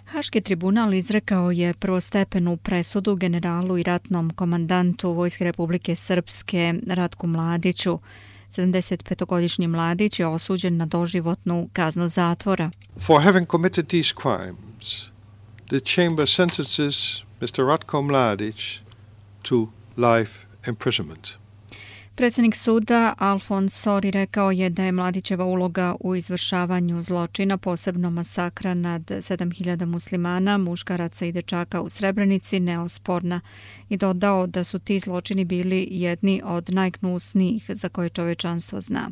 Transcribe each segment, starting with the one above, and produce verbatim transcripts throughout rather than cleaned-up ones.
Haški tribunal izrekao je prvostepenu presudu generalu i ratnom komandantu Vojske Republike Srpske Ratku Mladiću. sedamdesetpetogodišnji Mladić je osuđen na doživotnu kaznu zatvora. For having committed these crimes, the chamber sentences mister Ratko Mladić to life imprisonment. Predsjednik suda Alfons Sori rekao je da je Mladićeva uloga u izvršavanju zločina, posebno masakra nad sedam hiljada muslimana, muškaraca i dečaka u Srebrenici, neosporna i dodao da su ti zločini bili jedni od najgnusnijih za koje čovečanstvo zna.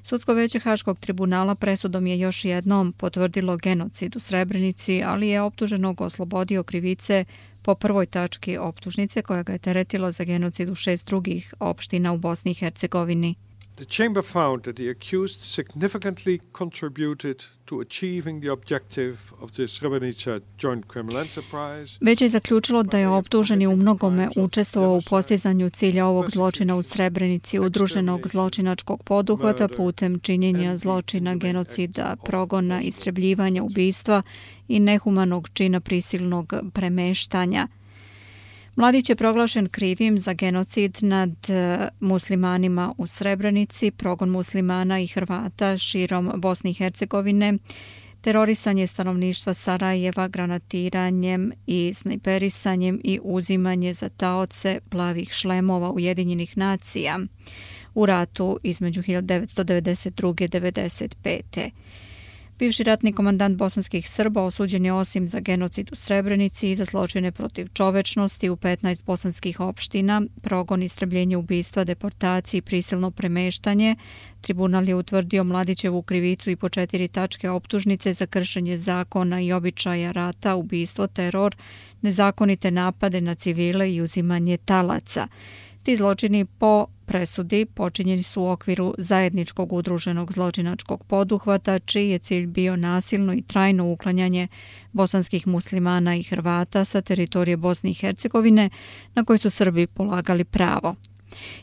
Sudsko veće Haškog tribunala presudom je još jednom potvrdilo genocid u Srebrenici, ali je optuženog oslobodio krivice po prvoj tački optužnice koja ga je teretilo za genocid u šest drugih opština u Bosni i Hercegovini. The chamber found that the accused significantly contributed to achieving the objective of the Srebrenica joint criminal enterprise. Već je zaključilo da je optuženi u mnogome učestvovao u postizanju cilja ovog zločina u Srebrenici, udruženog zločinačkog poduhvata putem činjenja zločina, genocida, progona, istrebljivanja, ubistva i nehumanog čina prisilnog premeštanja. Mladić je proglašen krivim za genocid nad muslimanima u Srebrenici, progon muslimana i Hrvata širom Bosne i Hercegovine, terorisanje stanovništva Sarajeva granatiranjem i snajperisanjem i uzimanje za taoce plavih šlemova Ujedinjenih nacija u ratu između hiljadu devetsto devedeset druge. i devedeset pete. Bivši ratni komandant bosanskih Srba osuđen je osim za genocid u Srebrenici i za zločine protiv čovečnosti u petnaest bosanskih opština, progon, istrebljenje, ubistva, deportaciji i prisilno premeštanje. Tribunal je utvrdio Mladićevu krivicu i po četiri tačke optužnice za kršenje zakona i običaja rata, ubistvo, teror, nezakonite napade na civile i uzimanje talaca. Ti zločini po presudi počinjeni su u okviru zajedničkog udruženog zločinačkog poduhvata, čiji je cilj bio nasilno i trajno uklanjanje bosanskih muslimana i Hrvata sa teritorije Bosne i Hercegovine na koji su Srbi polagali pravo.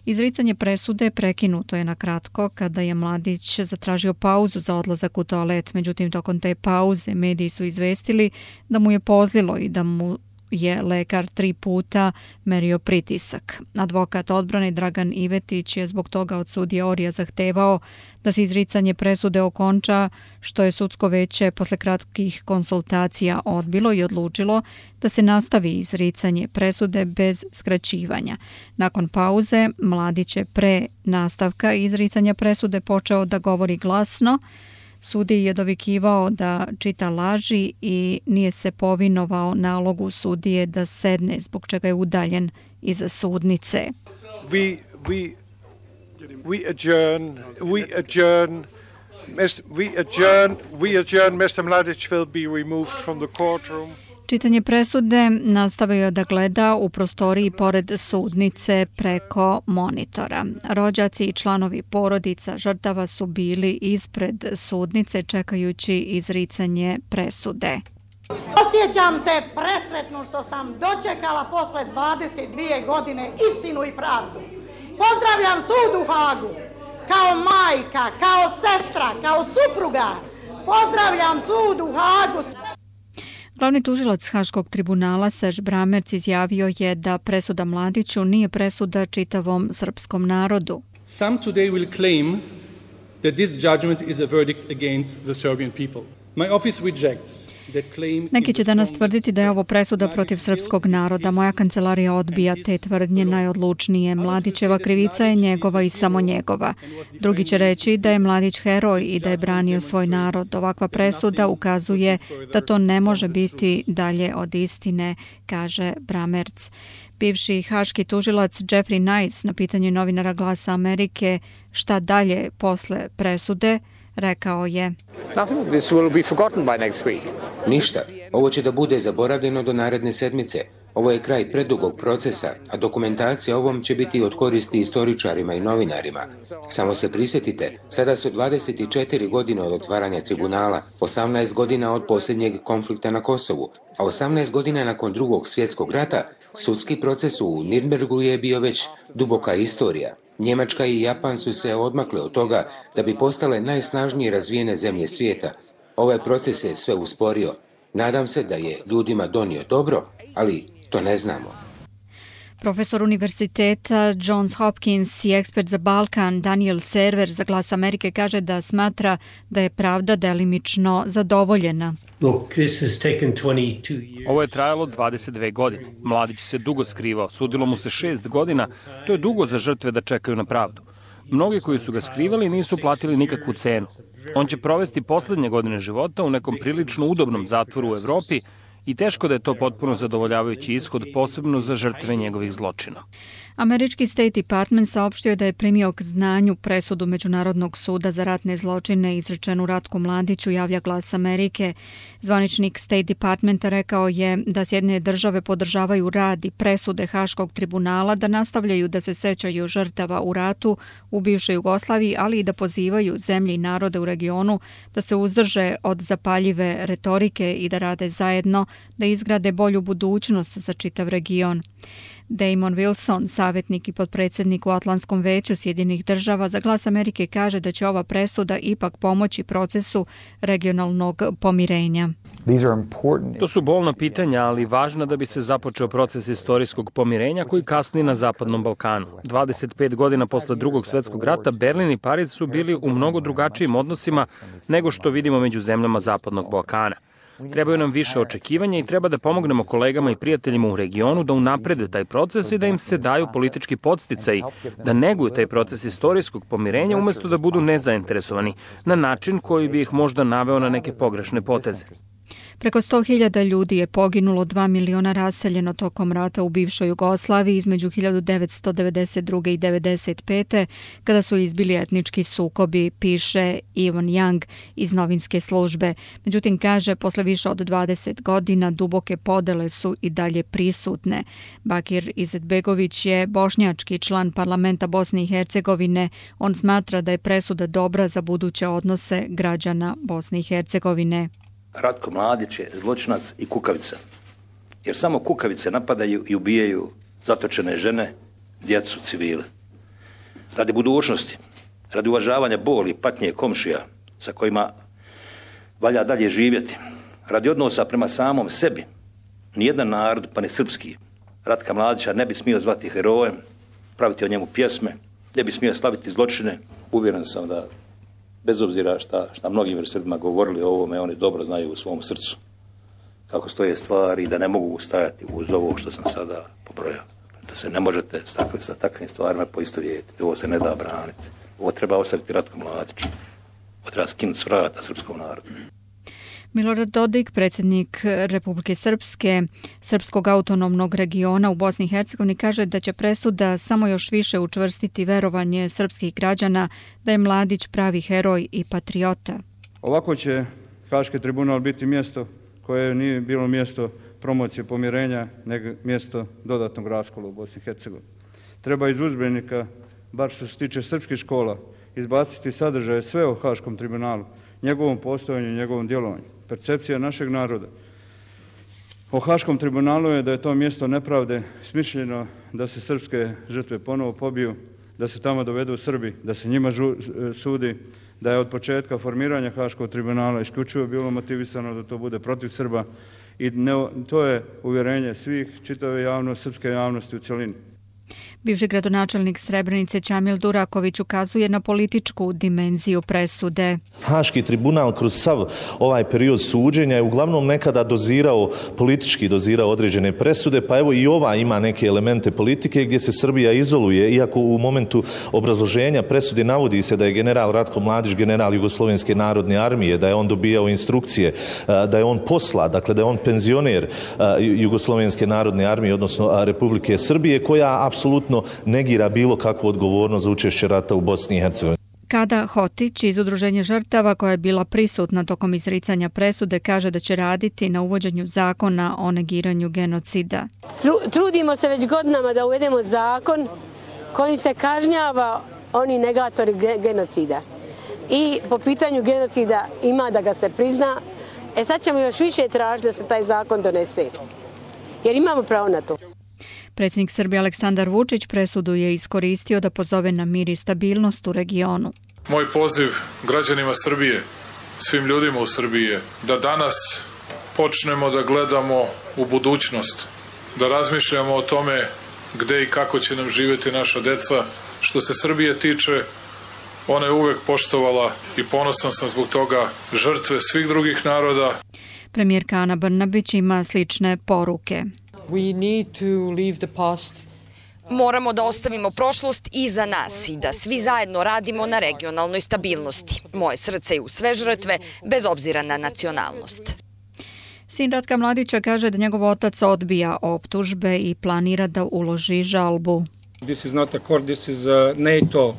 Izricanje presude prekinuto je na kratko kada je Mladić zatražio pauzu za odlazak u toalet, međutim tokom te pauze mediji su izvestili da mu je pozlilo i da mu je lekar tri puta merio pritisak. Advokat odbrane Dragan Ivetić je zbog toga od sudije Orija zahtevao da se izricanje presude okonča, što je sudsko veće posle kratkih konsultacija odbilo i odlučilo da se nastavi izricanje presude bez skraćivanja. Nakon pauze, Mladić je pre nastavka izricanja presude počeo da govori glasno. Sudiji je dovikivao da čita laži i nije se povinovao nalogu sudije da sedne, zbog čega je udaljen iza sudnice. We, we, we adjourn, we adjourn, we adjourn, we adjourn, mister Mladić will be removed from the courtroom. Čitanje presude nastavio je da gleda u prostoriji pored sudnice preko monitora. Rođaci i članovi porodica žrtava su bili ispred sudnice čekajući izricanje presude. Osjećam se presretno što sam dočekala posle dvadeset dvije godine istinu i pravdu. Pozdravljam sud u Hagu, kao majka, kao sestra, kao supruga. Pozdravljam sud u Hagu. Glavni tužilac Haškog tribunala Serž Bramerc izjavio je da presuda Mladiću nije presuda čitavom srpskom narodu. Some today will claim that this judgment is a verdict against the Serbian people. My office rejects. Neki će danas tvrditi da je ovo presuda protiv srpskog naroda. Moja kancelarija odbija te tvrdnje najodlučnije. Mladićeva krivica je njegova i samo njegova. Drugi će reći da je Mladić heroj i da je branio svoj narod. Ovakva presuda ukazuje da to ne može biti dalje od istine, kaže Bramerc. Bivši haški tužilac Jeffrey Nice na pitanje novinara Glasa Amerike šta dalje posle presude rekao je: Ništa. Ovo će da bude zaboravljeno do naredne sedmice. Ovo je kraj predugog procesa, a dokumentacija ovom će biti od koristi istoričarima i novinarima. Samo se prisjetite, sada su dvadeset četiri godine od otvaranja tribunala, osamnaest godina od posljednjeg konflikta na Kosovu, a osamnaest godina nakon drugog svjetskog rata, sudski proces u Nirnbergu je bio već duboka istorija. Njemačka i Japan su se odmakle od toga da bi postale najsnažnije razvijene zemlje svijeta. Ovaj proces je sve usporio. Nadam se da je ljudima donio dobro, ali to ne znamo. Profesor univerziteta Johns Hopkins i ekspert za Balkan Daniel Server za Glas Amerike kaže da smatra da je pravda delimično zadovoljena. Ovo je trajalo dvadeset dve godine. Mladić se dugo skrivao, sudilo mu se šest godina, to je dugo za žrtve da čekaju na pravdu. Mnogi koji su ga skrivali nisu platili nikakvu cenu. On će provesti poslednje godine života u nekom prilično udobnom zatvoru u Evropi i teško da je to potpuno zadovoljavajući ishod, posebno za žrtve njegovih zločina. Američki State Department saopštio da je primio k znanju presudu Međunarodnog suda za ratne zločine izrečenu Ratku Mladiću, javlja Glas Amerike. Zvaničnik State Departmenta rekao je da Sjedinjene države podržavaju rad i presude Haškog tribunala, da nastavljaju da se sećaju žrtava u ratu u bivšoj Jugoslaviji, ali i da pozivaju zemlje i narode u regionu da se uzdrže od zapaljive retorike i da rade zajedno da izgrade bolju budućnost za čitav region. Damon Wilson, savjetnik i potpredsjednik u Atlantskom veću Sjedinjenih država, za Glas Amerike kaže da će ova presuda ipak pomoći procesu regionalnog pomirenja. To su bolna pitanja, ali važna da bi se započeo proces istorijskog pomirenja koji kasni na Zapadnom Balkanu. dvadeset pet godina posle Drugog svjetskog rata Berlin i Pariz su bili u mnogo drugačijim odnosima nego što vidimo među zemljama Zapadnog Balkana. Trebaju nam više očekivanja i treba da pomognemo kolegama i prijateljima u regionu da unaprede taj proces i da im se daju politički podsticaji, da neguju taj proces istorijskog pomirenja umjesto da budu nezainteresovani, na način koji bi ih možda naveo na neke pogrešne poteze. Preko sto hiljada ljudi je poginulo, dva miliona raseljeno tokom rata u bivšoj Jugoslaviji između hiljadu devetsto devedeset druge i devedeset pete kada su izbili etnički sukobi, piše Ivan Young iz novinske službe. Međutim, kaže, posle više od dvadeset godina duboke podele su i dalje prisutne. Bakir Izetbegović je bošnjački član parlamenta Bosne i Hercegovine. On smatra da je presuda dobra za buduće odnose građana Bosne i Hercegovine. Ratko Mladić je zločinac i kukavica. Jer samo kukavice napadaju i ubijaju zatočene žene, djecu, civile. Radi budućnosti, radi uvažavanja boli i patnje komšija sa kojima valja dalje živjeti, radi odnosa prema samom sebi, nijedan narod, pa ni srpski, Ratka Mladića ne bi smio zvati herojem, praviti o njemu pjesme, ne bi smio slaviti zločine. Uvjeren sam da bez obzira šta, šta mnogim Srbima govorili o ovome, oni dobro znaju u svom srcu kako stoje stvari i da ne mogu stajati uz ovo što sam sada pobrojao. Da se ne možete sa takvim stvarima poistovjetiti. Ovo se ne da braniti. Ovo treba ostaviti Ratku Mladiću. Ovo treba skinuti s vrata srpskom narodu. Milorad Dodik, predsjednik Republike Srpske, Srpskog autonomnog regiona u Bosni i Hercegovini, kaže da će presuda samo još više učvrstiti verovanje srpskih građana da je Mladić pravi heroj i patriota. Ovako će Haški tribunal biti mjesto koje nije bilo mjesto promocije pomirenja, nego mjesto dodatnog raskola u Bosni i Hercegovini. Treba iz udžbenika, bar što se tiče srpskih škola, izbaciti sadržaje sve o Haškom tribunalu, njegovom postojanju i njegovom djelovanju. Percepcija našeg naroda o Haškom tribunalu je da je to mjesto nepravde, smišljeno da se srpske žrtve ponovo pobiju, da se tamo dovedu Srbi, da se njima žu, sudi, da je od početka formiranja Haškog tribunala isključivo bilo motivisano da to bude protiv Srba i ne, to je uvjerenje svih, čitave javnosti, srpske javnosti u cjelini. Bivši gradonačelnik Srebrenice Čamil Duraković ukazuje na političku dimenziju presude. Haški tribunal kroz sav ovaj period suđenja je uglavnom nekada dozirao, politički dozirao određene presude, pa evo i ova ima neke elemente politike gdje se Srbija izoluje, iako u momentu obrazloženja presude navodi se da je general Ratko Mladić general Jugoslovenske narodne armije, da je on dobijao instrukcije, da je on posla, dakle da je on penzioner Jugoslovenske narodne armije, odnosno Republike Srbije, koja apsolutno negira bilo kakvu odgovornost za učešće rata u Bosni i Hercegovini. Kada Hotić iz Udruženja žrtava, koja je bila prisutna tokom izricanja presude, kaže da će raditi na uvođenju zakona o negiranju genocida. Trudimo se već godinama da uvedemo zakon kojim se kažnjava oni negatori genocida. I po pitanju genocida ima da ga se prizna. E sad ćemo još više tražiti da se taj zakon donese. Jer imamo pravo na to. Predsjednik Srbije Aleksandar Vučić presudu je iskoristio da pozove na mir i stabilnost u regionu. Moj poziv građanima Srbije, svim ljudima u Srbiji je da danas počnemo da gledamo u budućnost, da razmišljamo o tome gde i kako će nam živjeti naša deca. Što se Srbije tiče, ona je uvek poštovala i ponosan sam zbog toga žrtve svih drugih naroda. Premijerka Ana Brnabić ima slične poruke. We need to leave the past. Moramo da ostavimo prošlost iza nas i da svi zajedno radimo na regionalnoj stabilnosti. Moje srce je u sve žrtve, bez obzira na nacionalnost. Sin Ratka Mladića kaže da njegov otac odbija optužbe i planira da uloži žalbu. This is not a court, this is a NATO uh,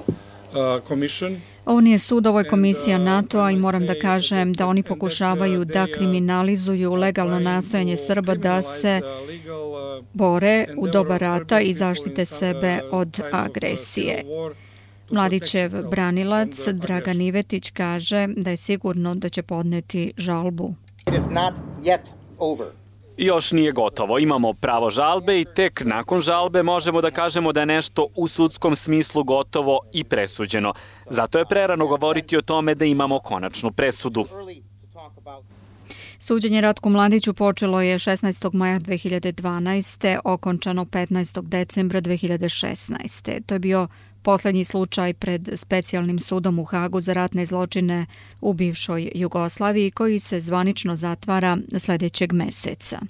commission. Ovo nije sud, ovo je komisija NATO-a i moram da kažem da oni pokušavaju da kriminalizuju legalno nastojanje Srba da se bore u doba rata i zaštite sebe od agresije. Mladićev branilac Dragan Ivetić kaže da je sigurno da će podneti žalbu. Još nije gotovo. Imamo pravo žalbe i tek nakon žalbe možemo da kažemo da je nešto u sudskom smislu gotovo i presuđeno. Zato je prerano govoriti o tome da imamo konačnu presudu. Suđenje Ratku Mladiću počelo je šesnaestog maja dve hiljade dvanaeste. okončano petnaestog decembra dve hiljade šesnaeste. To je bio poslednji slučaj pred specijalnim sudom u Hagu za ratne zločine u bivšoj Jugoslaviji koji se zvanično zatvara sledećeg meseca.